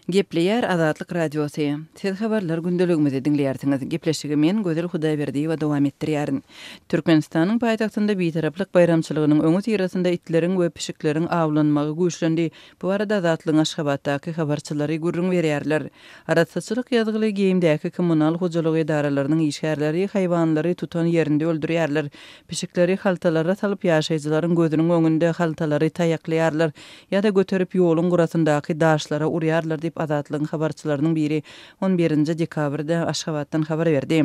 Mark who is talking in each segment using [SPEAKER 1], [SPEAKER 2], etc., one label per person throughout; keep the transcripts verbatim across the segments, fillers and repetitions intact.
[SPEAKER 1] Gepleýär Azatlyk Radiosy. Siz habarlar gündeligimizi diňleýärsiňiz. Gepleşigi men Gözel Hudaýberdiýewa dowam etdirýärin. Türkmenistanyň paýtagtynda Bitaraplyk baýramçylygynyň öňüsyrasynda itleriň we pişikleriň awlanmagy güýçlendi. Bu barada Azatlygyň Aşgabatdaky habarçylary gürrüň berýärler. Arassaçylyk ýazgyly geýimdäki kommunal hojalygy edaralarynyň işgärleri haýwanlary tutan ýerinde öldürýärler. Pişikleri haltalara salyp ýaşaýjylaryň gözüniň öňünde haltalary taýaklaýarlar ýa-da göterip ýoluň gyrasyndaky daşlara urýarlar diýip Azatlygyň habarçylarynyň biri on birinji dekabrda Aşgabatdan habar berdi.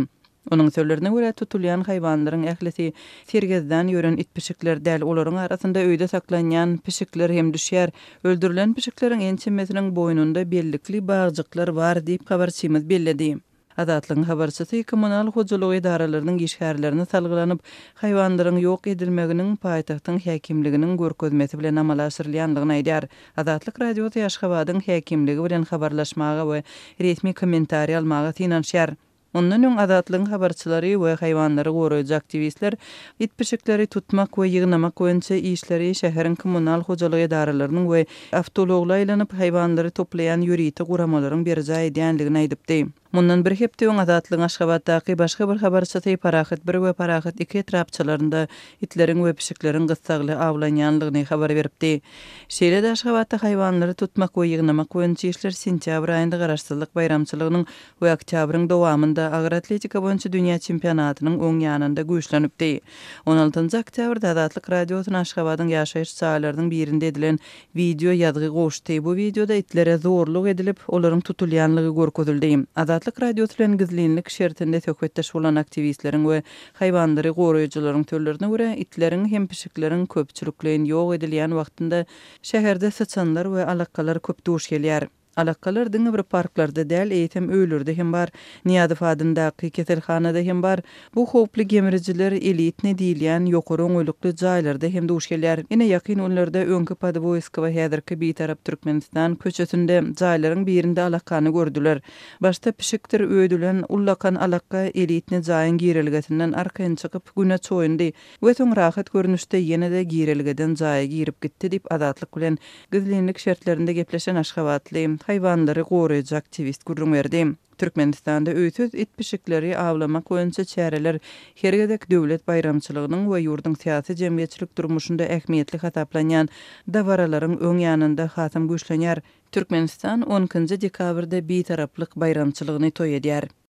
[SPEAKER 1] Onuň sözlerine görä, tutulýan haýwanlaryň ählisi sergezdan ýören it-pişikler däl, olaryň arasynda öýde saklanýan pişikler hem düşýär. Öldürilen pişikleriň ençemesiniň boýnunda bellikli bagjyklar bar diýip, habarçymyz belledi. Azatlygyň habarçysy kommunal hojalygy edaralarynyň işgärlerine salgylanyp, haýwanlaryň ýok edilmeginiň paýtagtyň häkimliginiň görkezmesi bilen amala aşyrylýandygyny aýdýar. Azatlyk Radiosy Aşgabadyň häkimligi bilen habarlaşmaga we resmi kommentariý almaga synanyşýar. Mundan öň Azatlygyň habarçylary we haýwanlary goraýjy aktiwistler it-pişikleri tutmak we ýygnamak boýunça işleri şäheriň kommunal hojalyk edaralarynyň we awtoulagly aýlanyp haýwanlary toplaýan ýörite guramalaryň berjaý edýändigini aýdypdy. Mundan bir hepde öň Azatlygyň Aşgabatdaky başga bir habarçysy Parahat bir we Parahat iki etrapçalarynda itleriň we pişikleriň gyssagly awlanýanlygyny habar beripdi. Şeýle-de Aşgabatda haýwanlary tutmak we ýygnamak boýunça işler sentýabr aýynda Garaşsyzlyk baýramçylygynyň we oktýabryň dowamynda agyr atletika boýunça dünýä çempionatynyň öň ýanynda güýçlenipdi. On altynjy oktýabrda Azatlyk Radiosyna Aşgabadyň ýaşaýyş jaýlarynyň birinde edilen wideo ýazgy gowuşdy. Bu wideoda itlere zorluk edilip, olaryň tutulýanlygy görkezildi. Azatlyk Radiosy bilen gizlinlik şertinde söhbetdeş bolan aktiwistleriň we haýwanlary goraýjylaryň sözlerine görä, itleriň hem pişikleriň köpçülikleýin ýok edilýän wagtynda şäherde syçanlar we alakalar köp duş gelýär. Alakalar diňe bir parklarda däl, eýsem öýlerde hem bar. Nyýazow adyndaky keselhanada hem bar. Bu howply gemrijiler elitni diýilýän ýokary oňaýlykly jaýlarda hem duş gelýär. Ine ýakyn günlerde öňki Podwoýskowa häzirki Bitarap Türkmenistan köçesinde jaýlaryň birinde alakany gördüler. Başda pişikdir öýdülen ullakan alaka elitni jaýyň girelgesinden arkaýyn çykyp güne çoýundy we soň rahat görnüşde ýene-de girelgeden jaýa girip gitdi diýip Azatlyk bilen gizlinlik şertlerinde gepleşen aşgabatly haýwanlary goraýjy aktiwist gürrüň berdi. Türkmenistanda öýsüz it pişikleri awlamak boýunça çäreler her gezek döwlet baýramçylygynyň we ýurduň syýasy jemgyýetçilik durmuşynda ähmiýetli hasaplanýan dabaralaryň öň ýanynda hasam güýçlenýär. Türkmenistan on ikinji dekabrda Bitaraplyk baýramçylygyny toý edýär.